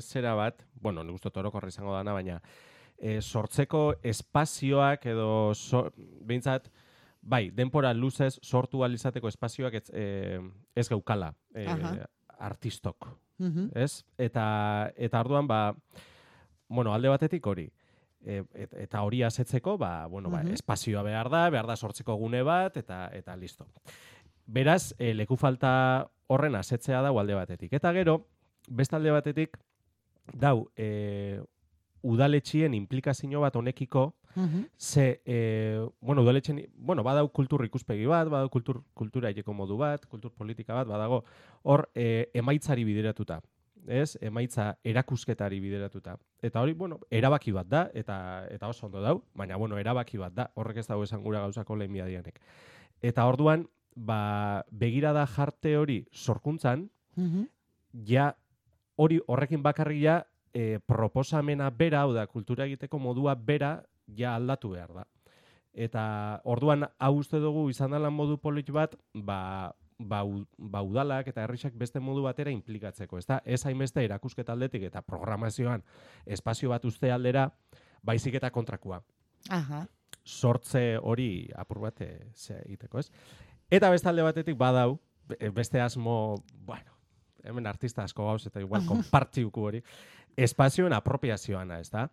zera bat, nik uste orokorra izango dana, baina sortzeko espazioak edo behintzat, bai, denpora luzez sortu alizateko espazioak ez geukala artistok. Eta arduan, alde batetik hori. Eta hori asetzeko, espazioa behar da sortzeko gune bat, eta listo. Beraz, leku falta horren asetzea dau alde batetik. Eta gero, beste alde batetik, dau, udaletxien implikazio bat honekiko, ze, udaletxien, badau kultur ikuspegi bat, badau kultura hileko modu bat, kultur politika bat, badago, hor, emaitzari bideratuta. Emaitza erakusketari bideratuta. Eta hori, erabaki bat da, eta oso ondo dau, baina, erabaki bat da, horrek ez dago esan gura gauzako lehen biadianek. Eta orduan, begirada jarte hori sorkuntzan, ja hori horrekin bakarria proposamena bera, hau da, kultura egiteko modua bera, ja aldatu behar da. Eta orduan hau uste dugu izan dela modu polit bat, udalak eta herrisak beste modu batera implikatzeko. Ez hainbeste erakusketa aldetik eta programazioan espazio bat uste aldera, baizik eta kontrakoa. Sortze hori apur bat egiteko, ez? Eta beste alde batetik badau, beste asmo, bueno, hemen artista asko gauz eta igual konpartziuku hori, espazioen apropiazioana, ez da?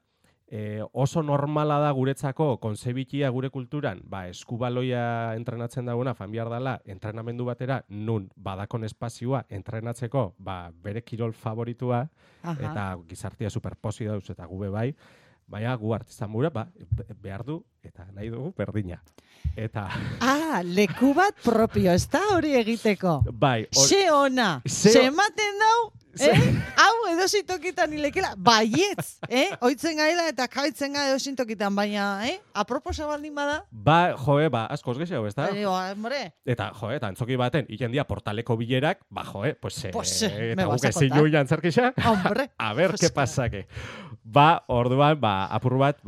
Oso normala da guretzako konzebitia gure kulturan, eskubaloia entrenatzen dagoena familiar dela entrenamendu batera, nun badakon espazioa entrenatzeko bere kirol favoritua, eta gizartia superposi dauz eta gube bai, baina gu artista mura behar du eta nahi dugu berdina. Eta... leku bat propio, ez da hori egiteko? Bai. Xe ona, xe ematen dau, hau edozintokitan hilekela, baietz, oitzen gaila eta kaitzen ga edozintokitan, baina, aproposa baldin bada? Askoz gehiago, ez da? Eta, eta antzoki baten, ikendia portaleko bilerak, eta guk ezin joan antzerkisa, a ver, que pasake. Orduan, apur bat,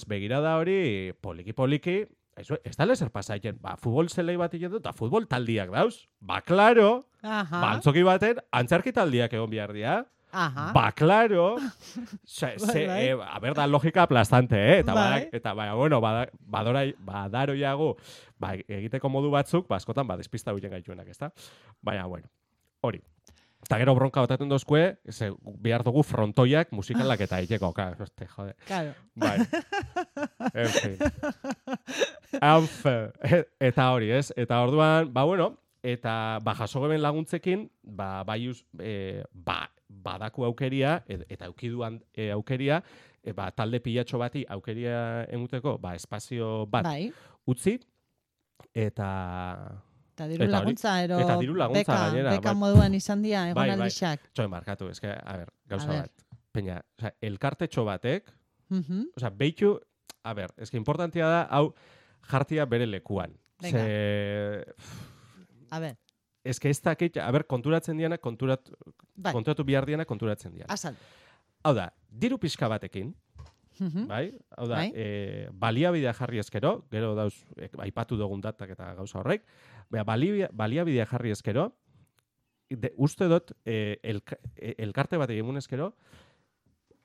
begirada hori, poliki, ez da lezer pasaiten, futbol zelei bat egin dut, eta futbol taldiak dauz. Klaro, antzoki baten, antzerki taldiak egon behar dira. Klaro, da logika aplastante, eta badaroiago, egiteko modu batzuk, askotan, despista huien gaituenak, ez da? Baina, hori. Eta gero bronka botaten dozkue, behar dugu frontoiak musikalak eta egiteko. Jode. Claro. Bai. En fin. Eta hori, ez? Eta orduan, eta jaso geben laguntzekin, badaku aukeria, eta aukiduan aukeria, talde pilatxo bati aukeria emuteko, espazio bat utzi, Eta diru laguntza, beka bai. Moduan izan dira, egon aldixak. Txoen markatu, gauza bat. Peña, elkartetxo batek, behitu, importantia da, hau jartia bere lekuan. Ez dakit, konturatzen diana, konturatu bihar diana, konturatzen diana. Azal. Hau da, diru pixka batekin, bai? Hau da, baliabidea jarri ezkero, gero dauz, aipatu dugun datak eta gauza horrek, baliabidea jarri ezkero, uste dut, elkarte bat egin ezkero,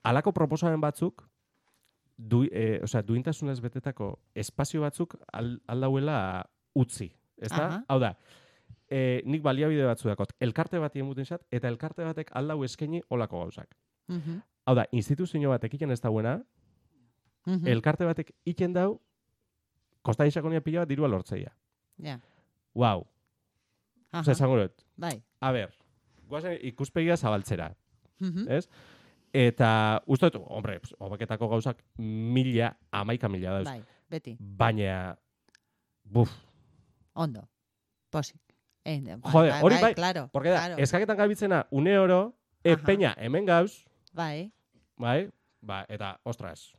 alako proposamen batzuk, duintasunez betetako espazio batzuk aldauela utzi. Ezta? Hau da, nik baliabide batzu dakot, elkarte bat egin zat, eta elkarte batek aldau eskaini olako gauzak. Hau da, instituzio batek iken ez dauena, elkarte batek iken dau, kostain sakonia pila bat dirua lortzeia. Wow. Esango dut. Bai. A ber, guazen ikuspegia zabaltzera. Ez? Eta, uste dut, hobeketako gauzak 11,000 dauz. Bai, beti. Baina, Ondo. Posik. Jode, hori bai, claro. Porque da, eskaketan gabitzena une oro, peña hemen gauz. Bai. Eta, ostras,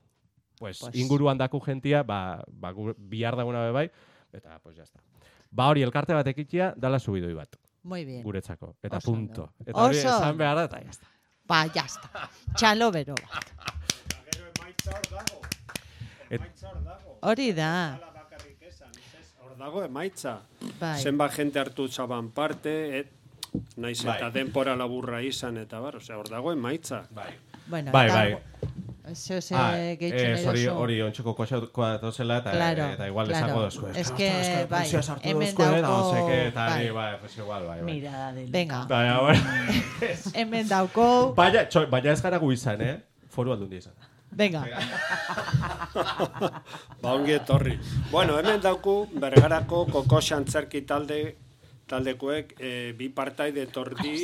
inguruan daku gentia, bihar daguna bai, eta, jazta. Hori, elkarte bat ekitia, dala subidoi bat. Muy bien. Guretzako. Eta punto. Eta hori esan behar da, eta jazta. Jazta. Txalo bero bat. Hori da. Hor dago emaitza. Zenba jente hartu zaban parte, naiz eta denpora laburra izan, eta hor dago emaitza. Bai. Hori ontsuko koxaukoa dozela, eta igual esango dozku. Ez que, hemen dauko... Mirada del... Venga. Hemen dauko... Baina ez gara gu izan, foru aldundi izan. Venga. Ongi etorri. Hemen dauku Bergarako Kokox antzerki taldekoek bi partaide etorri,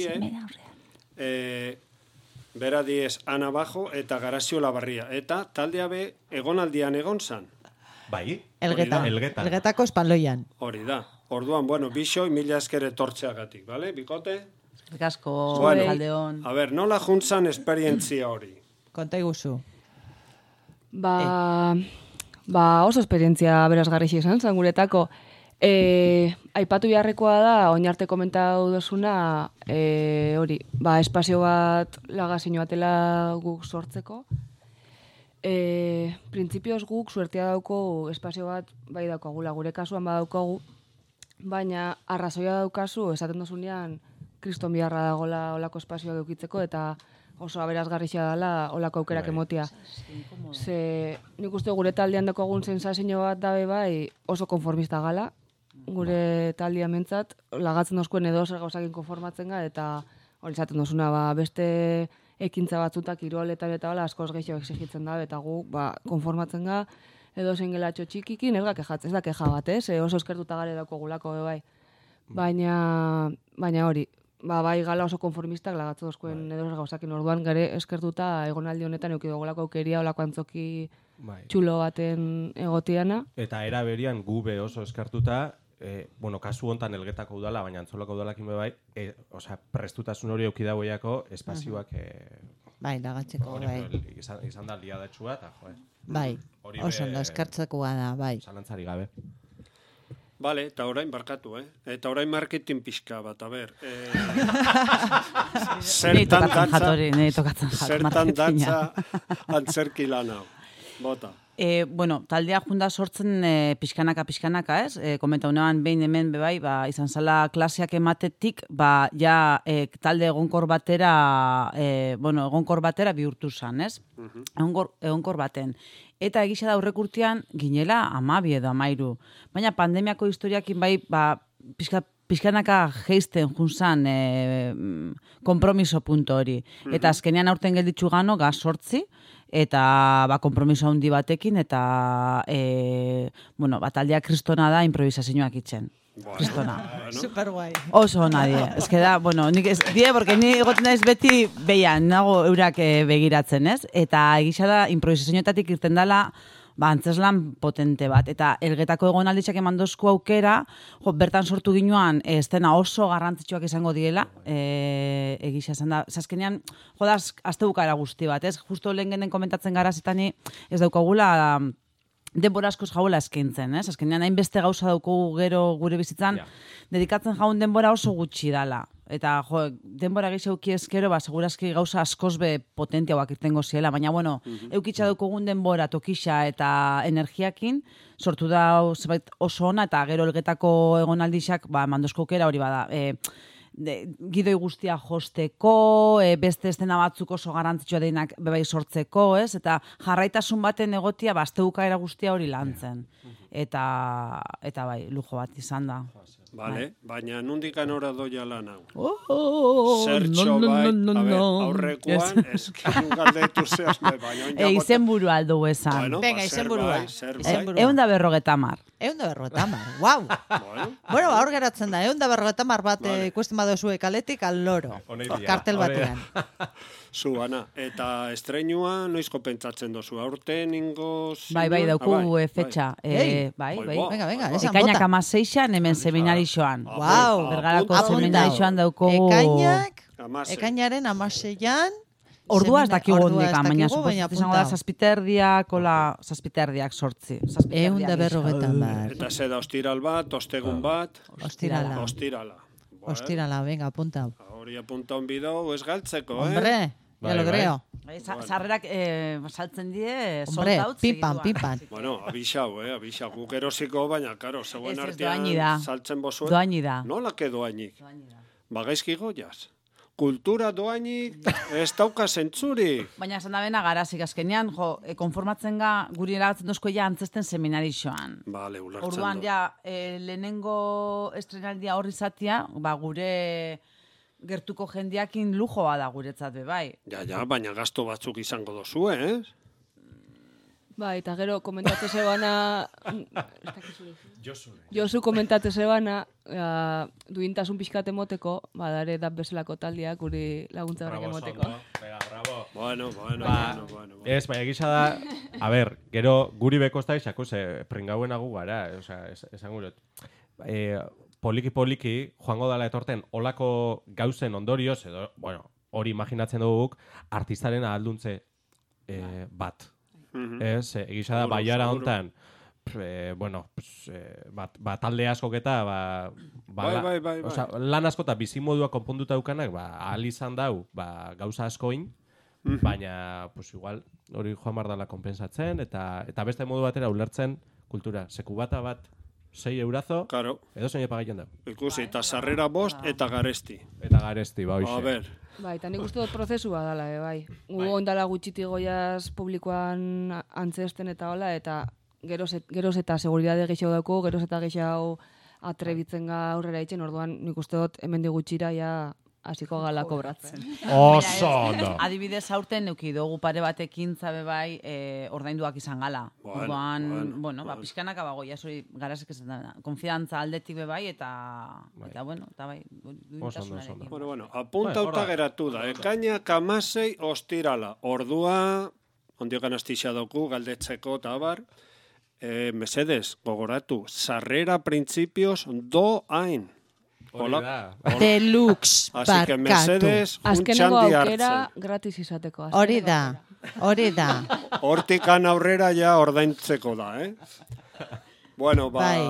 Bera diez Ana Bajo eta Garazio Labarria. Eta taldea be egonaldian egon zan. Bai, Elgetako espaloian. Hori da. Orduan, bixoi 1000 esker etortzeagatik, bale? Bikote? Gasko, aldeon. A ber, nola juntzan esperientzia hori? Konta iguzu. Oso esperientzia berazgarri izan, guretako. Aipatu beharrekoa da, oin arte komentatu dozuna, hori, espazio bat lagazio batela guk sortzeko. Printzipioz guk suertea dauko espazio bat bai daukagula, gure kasuan badaukagu, baina arrazoia daukazu, esaten dozunean, kriston biharra dagoela olako espazioa edukitzeko, eta oso aberazgarria dela olako aukerak emotia. Ze nik uste gure taldean daukagun sensazio bat dabe bai oso konformista gala, gure taldean mentzat, lagatzen dozkuen edo zer gauzakin konformatzen ga, eta hori izaten dozuna, beste ekintza batzutak kiroletan eta askoz gehiago exigitzen da, eta gu konformatzen ga, edo zen gelatxo txikikin, ez da keja bat, oso eskertuta gare dauko gulako, bai. Baina hori, bai gala oso konformistak lagatzu dozkuen edo gauzakin orduan gare eskertuta egonaldi honetan eukidogolako aukeria olako antzoki txulo baten egotiana. Eta era berian gube oso eskertuta, kasu hontan Elgetako udala, baina Antzolako udalakin bai, prestutasun hori eukidagoiako espazioak bai, lagatzeko, bai. Izan da liadatxua, eta bai, oso ondo eskertzekoa da, bai. Zalantzari gabe. Bale, eta orain barkatu, Eta orain marketing pixka bat, a ber. Zertan datza antzerki lan hau. Bota. Taldea junda sortzen pixkanaka, ez? Komenta unean behin hemen bebai, izan zala klaseak ematetik, talde egonkor batera bihurtu zan, ez? Egonkor baten. Eta egisa da aurrekurtean ginela 12 edo 13. Baina pandemiako historiakin bai, pixkanaka geisten junzan kompromiso punto hori. Eta azkenean aurten gelditzu gano, gaz 8, eta kompromiso handi batekin, eta taldeak kristona da improvisazioak itzen. Kristona. Super guai. Oso nadie. Ez que da, nik ez die, porque ni egoten naiz beti behian, nago eurak begiratzen, ez? Eta egisa da, improvisazioetatik irten dela, antzeslan potente bat. Eta Elgetako egonalditzak emandozko aukera, bertan sortu ginoan, estena oso garrantzitsuak izango diela, egisa esan da. Zazkenean, azte bukara guzti bat, ez? Justo lehen genen komentatzen gara zitani, ez daukagula denbora askoz jaula eskaintzen, ez? Azkenean hainbeste gauza daukagu gero gure bizitzan, dedikatzen jaun denbora oso gutxi dala. Eta, denbora gehiago ezkero, segurazki gauza askoz be potentiagoak irtengo ziela, baina, eukitza daukagun denbora, tokisa eta energiakin, sortu da oso ona, eta gero Elgetako egonaldixak, mandozko aukera hori bada, gidoi guztia josteko, beste estena batzuk oso garantzitsua deinak bebai sortzeko, ez? Eta jarraitasun baten egotia, azteukaera guztia hori lantzen. Eta bai, lujo bat izan da. Bale, baina nundikan ora doia lan hau. Zertxo bai, aurrekoan, eskin galdetu zehazme, baina... Izen buru aldu esan. Venga, izen burua. 150. 150, guau! Bueno, hor geratzen da, 150 bat ikusten badozue kaletik al loro. Kartel batean. Zu, Ana, eta estreinua noizko pentsatzen dozu, aurten ingoz... Bai, dauku fetxa. Bai. Venga, esan bota. Ekainak 16an hemen seminarixoan. Guau! Bergarako seminarixoan dauko... Ekainaren 16an... Ordua ez dakigu ondika, baina izango da zazpiterdiak sortzi. 150. Eta zeda ostiral bat, ostegun bat... Ostirala, venga, apunta. Hori apunta on bideu, ez galtzeko, Hombre, ya lo creo. Sarrerak saltzen die, hombre, soldaut pipan. Bueno, abixau, guk erosiko, baina, karo, zegoen artean saltzen bozuen. Doainida. Nolake doainik? Bagaizki goiaz. Kultura doainik ez dauka zentzuri. Baina esan da bena garazik azkenean, konformatzen ga guri eragatzen dozko ja antzesten seminarixoan. Bale, ulertzen orduan ja, lehenengo estrenaldia horri zatia, gure gertuko jendeakin lujoa da guretzat be, bai. Ja, baina gasto batzuk izango dozu, ez? Bai, eta gero komentatze zebana... Josu komentatze zebana, duintasun pixkat emoteko, dare da bezalako taldiak guri laguntza horrek emoteko. Bravo. Bueno. Ez, baina egisa da, a ber, gero guri bekostai xako, pringauen agu gara, esan gurot. Poliki, joango dala etorten, olako gauzen ondorioz, edo, hori imaginatzen duguk, artistaren ahalduntze bat. Ez, egisa da, baiara hontan, bueno, talde askok eta bai. Osea, lan asko eta bizimodua konponduta daukanak, ahal izan dau, gauza askoin, baina, pues igual, hori joan bardala konpensatzen, eta beste modu batera ulertzen kultura. Sekubata bat 6 eurazo, claro. Edo zein epagaiten da. Ikusi, eta sarrera 5 eta garesti. Eta garesti, hoxe. A ber. Bai, eta nik uste dut prozesua dela, bai. Gu ondala gutxiti goiaz publikoan antzesten eta hola, eta geroz eta seguridade gehiago dauko, geroz eta gehiago atrebitzen ga aurrera itzen, orduan nik uste dut hemendik gutxira ja hasiko gala kobratzen. Oso ondo. Adibidez aurten neuki dugu pare batekin zabe bai ordainduak izan gala. Orduan, pixkanaka bagoia zuri garazek ez da. Konfidantza aldetik be bai eta bueno, eta bai. Bueno, apuntauta geratu da. Ekainak 16 ostirala. Ordua, ondiokan astixa doku, galdetzeko eta abar. Mesedes, gogoratu, sarrera principios doain. Deluxe barkatu. Así que Mercedes, azkenengo aukera gratis izateko. Hori da. Hortikan aurrera ja ordaintzeko da, Bueno, Bai,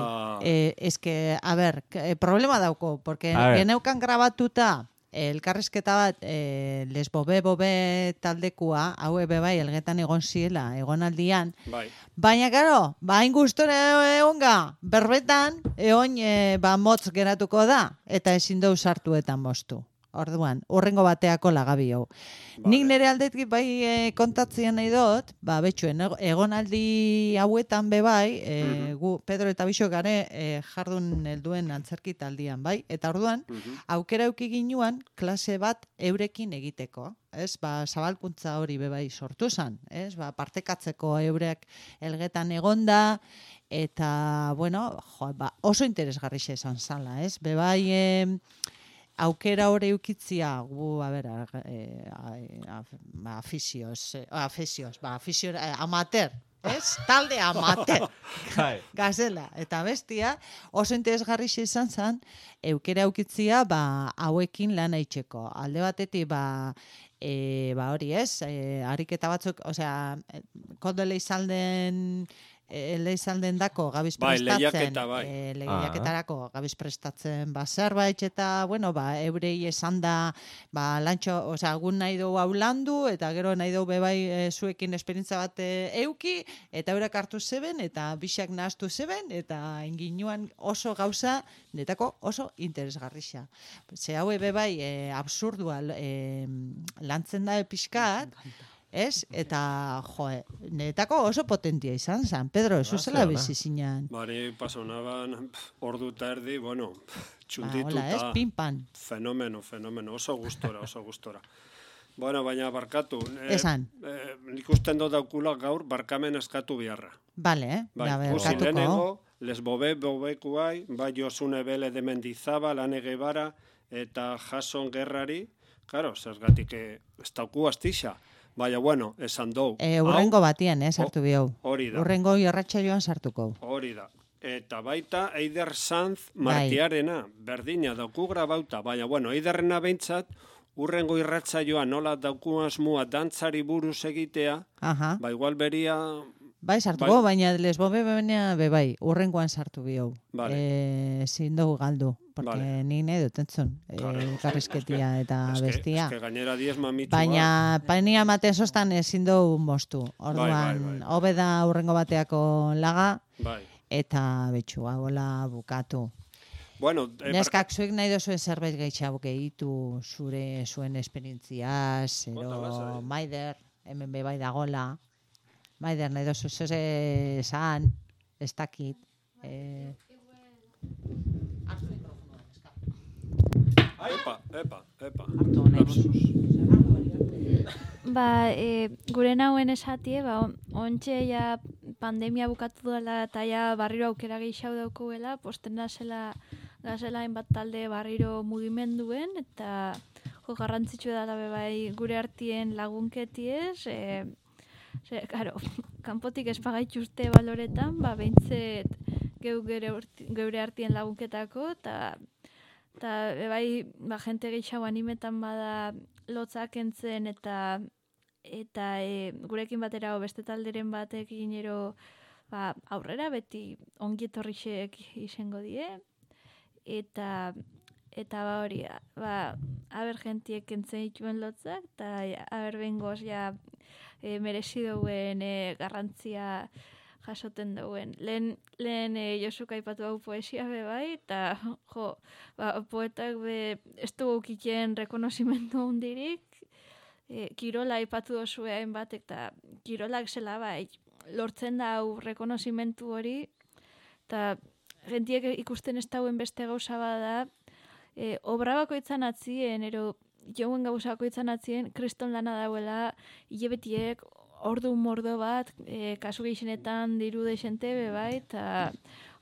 que, a ver, problema dauko, porque geneukan grabatuta elkarrizketa bat lesbobe taldekua, hau bai, elgetan egon ziela, egonaldian. Bai. Baina, karo, hain gustora egonga, berbetan, motz geratuko da, eta ezin dau sartuetan moztu. Orduan, urrengo bateako lagabi hau. Vale. Nik nire aldetik bai kontatzen nahi dut, betxuen, egonaldi hauetan bai, gu Pedro eta Bixo gare jardun helduen antzerki taldian, bai? Eta orduan, aukera euki ginuan klase bat eurekin egiteko. Zabalkuntza hori bai sortu zen, partekatzeko eurek elgetan egonda, eta, bueno, oso interesgarri izan zala, bai, aukera hori eukitzia, amateur, talde amateur, gazela, eta bestia, oso interesgarri izan zen, aukera eukitzia, hauekin lan aitzeko. Alde batetik, hori ariketa batzuk, kondole izan den dako gabiz prestatzen, lehiaketarako gabiz prestatzen zerbait, eta, eurei esan da, lantxo, gun nahi dugu hau landu, eta gero nahi dugu bebai zuekin esperientza bat euki, eta eurak hartu zeben, eta bixak nahaztu zeben, eta inginuan oso gauza, netako oso interesgarrixa. Ze hau bebai absurdua lantzen da pixkat, eta, netako oso potentia izan zen. Pedro, eso zela bizi zinean. Bari, pasonaban, ordu eta erdi, txundituta. Hola, pinpan. Fenomeno, oso gustora. Bueno, baina barkatu. Esan. Nik usten dut daukula gaur barkamen eskatu biharra. Bale, barkatuko. Lesbobekuai, Josune Bele de Mendizabal, Ane Guevara, eta Jason Gerrari, claro, zergatik ez dauku astixa. Baina, bueno, esan dou. Urrengo batian, sartu bihau. Hori da. Urrengo irratxa joan sartuko. Hori da. Eta baita Eider Sanz Martiarena, berdina dauku grabauta. Baina, bueno, Eiderrena behintzat, urrengo irratxa joan nola dauku asmua dantzari buruz egitea, igual beria... Bai, sartuko, baina lesbobe bai, urrengoan sartu bihau. Zin dugu galdu. Porque ni nahi dut entzun, karrizketia eta bestia. Ez que gainera 10 mamitua. Baina, painia maten sostan ezin dugu moztu. Orduan, hobe da urrengo bateako laga, eta betxua, hola bukatu. Bueno, neskak zuek nahi duzuen zerbait gehiago gehitu zuen esperientziaz, ero Maider, hemen bebai dagola. Maider, nahi duzu esan, ez dakit. Epa. Gure nauen esatie, ontxe ja pandemia bukatu dela eta ja barriro aukera gehiago daukuela, posten gazela hainbat talde barriro mugimenduen, eta garrantzitsu dela bebai gure artien lagunketiez, claro, kanpotik espagaituzte baloretan, behintzet geure artien lagunketako, eta bai, jente gehiago animetan bada lotzak entzen eta gurekin batera beste talderen batekin ero aurrera beti ongi etorrixek izango die, eta hori, haber gentiek entzen dituen lotzak, eta haber bengoz merezi duen garrantzia jasoten duen. Lehen Josuk aipatu hau poesia bai, eta poetak ez dugu kiken rekonozimendu hundirik, kirola aipatu dozue hainbat, eta kirolak zela bai, lortzen da hau rekonozimentu hori, eta gentiek ikusten ez dauen beste gauza bada, obra bakoitzan atzien, jouen gauza bakoitzan atzien, kriston lana dauela, hilebetiek, ordu mordo bat, kasu gehienetan diru deixente bai, eta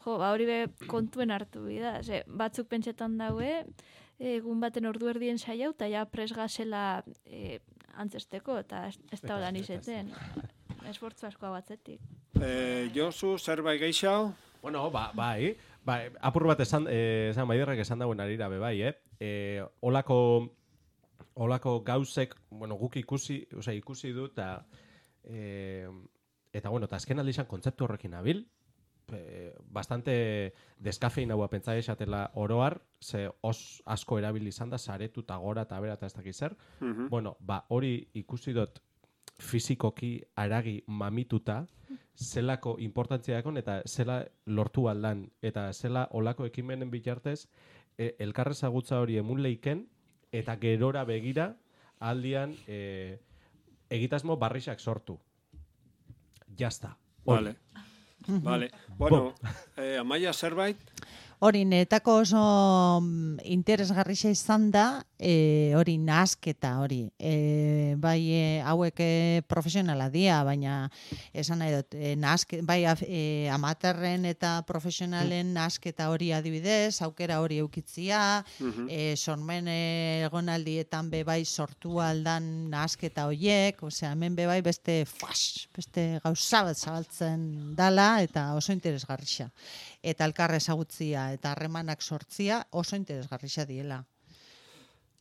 hori kontuen hartu bida. Batzuk pentsetan daue, egun baten ordu erdien saiau, eta ja presgazela antzesteko, eta ez da holan izeten. Esfortzu asko batzetik. Josu, zerbait gehiago? Bueno, bai, apur bat esan Maiderrek esan dauen arira bai, olako gauzek, bueno, guk ikusi du, eta bueno, eta azken aldi izan kontzeptu horrekin nabil, bastante deskafeinaua pentsa esatela oroar, ze asko erabili izan da, saretu eta gora eta bera eta ez dakiz zer. Bueno, hori ikusi dut fizikoki aragi mamituta, zelako importantzia dakon, eta zela lortu aldan, eta zela olako ekimenen bitartez, elkarrezagutza hori emun leiken, eta gerora begira, aldian egitasmo barrixak sortu. Jazta. Vale. Bueno, Amaia zerbait? Hori, netako oso interesgarria izan da, hori nahasketa hori. Bai, hauek profesionala dia, baina esan nahi dut, bai, amaterren eta profesionalen nahasketa hori adibidez, aukera hori eukitzia, sormen egonaldietan bai sortu aldan nahasketa horiek, osea, hemen bai beste gauza bat zabaltzen dala, eta oso interesgarria. Eta elkarre ezagutzia eta harremanak sortzia oso interesgarria diela.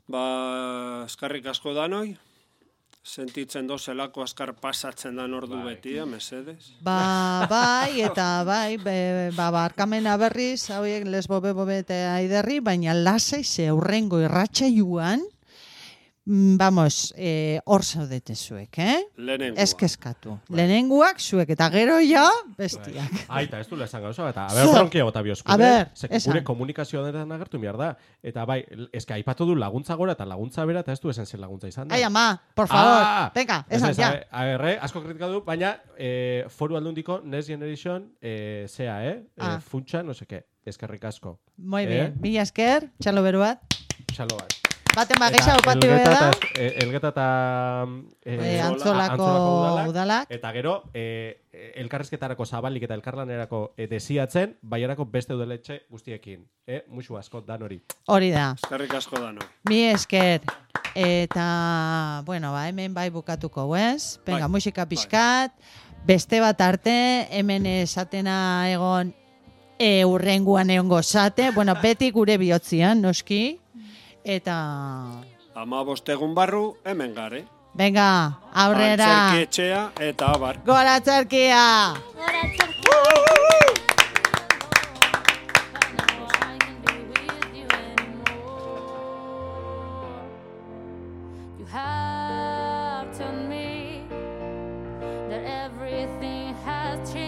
Eskarrik asko danoi, sentitzen dozelako askar pasatzen dan ordu beti, mesedez. Bai, eta bai, barkamena berriz, hauek lesbobe eta aiderri, baina lasai ze aurrengo irratsaioan, vamos, hor zaudete zuek, Lehenengoa. Ez kezkatu. Lehenengoak zuek, eta gero jo, bestiak. Aita, ez du lezan gauza, eta bronkia gota biosku. Gure komunikazioa denetan agertu behar da. Eta bai, eske aipatu du laguntza gora eta laguntza bera, eta ez du esan zen laguntza izan da. Ai, ama, por favor, venga, esan, ja. Asko kritikatu, baina foru aldundiko Next Generation, funtsa, no seke, eskerrik asko. Muy bien, mila esker, txalo beru bat. Txalo bat. Baten bageixa opatu da. Elgeta eta Antzolako udalak. Eta gero, elkarrezketarako zabalik eta elkarlanerako desiatzen, baiarako beste udaletxe guztiekin. Muxu asko, dan hori. Hori da. Eskerrik asko dan hori. Mi esker. Eta, bueno, hemen bai bukatuko, ez? Venga, musika pixkat. Beste bat arte, hemen esatena egon urrenguan egon gozate. Bueno, beti gure bihotzian, noski. Eta... 15 egun barru, hemen gare. Venga, aurrera. Antzerki etxea eta abar. Gora txerkia! Gora txerkia! You have told me that everything has changed.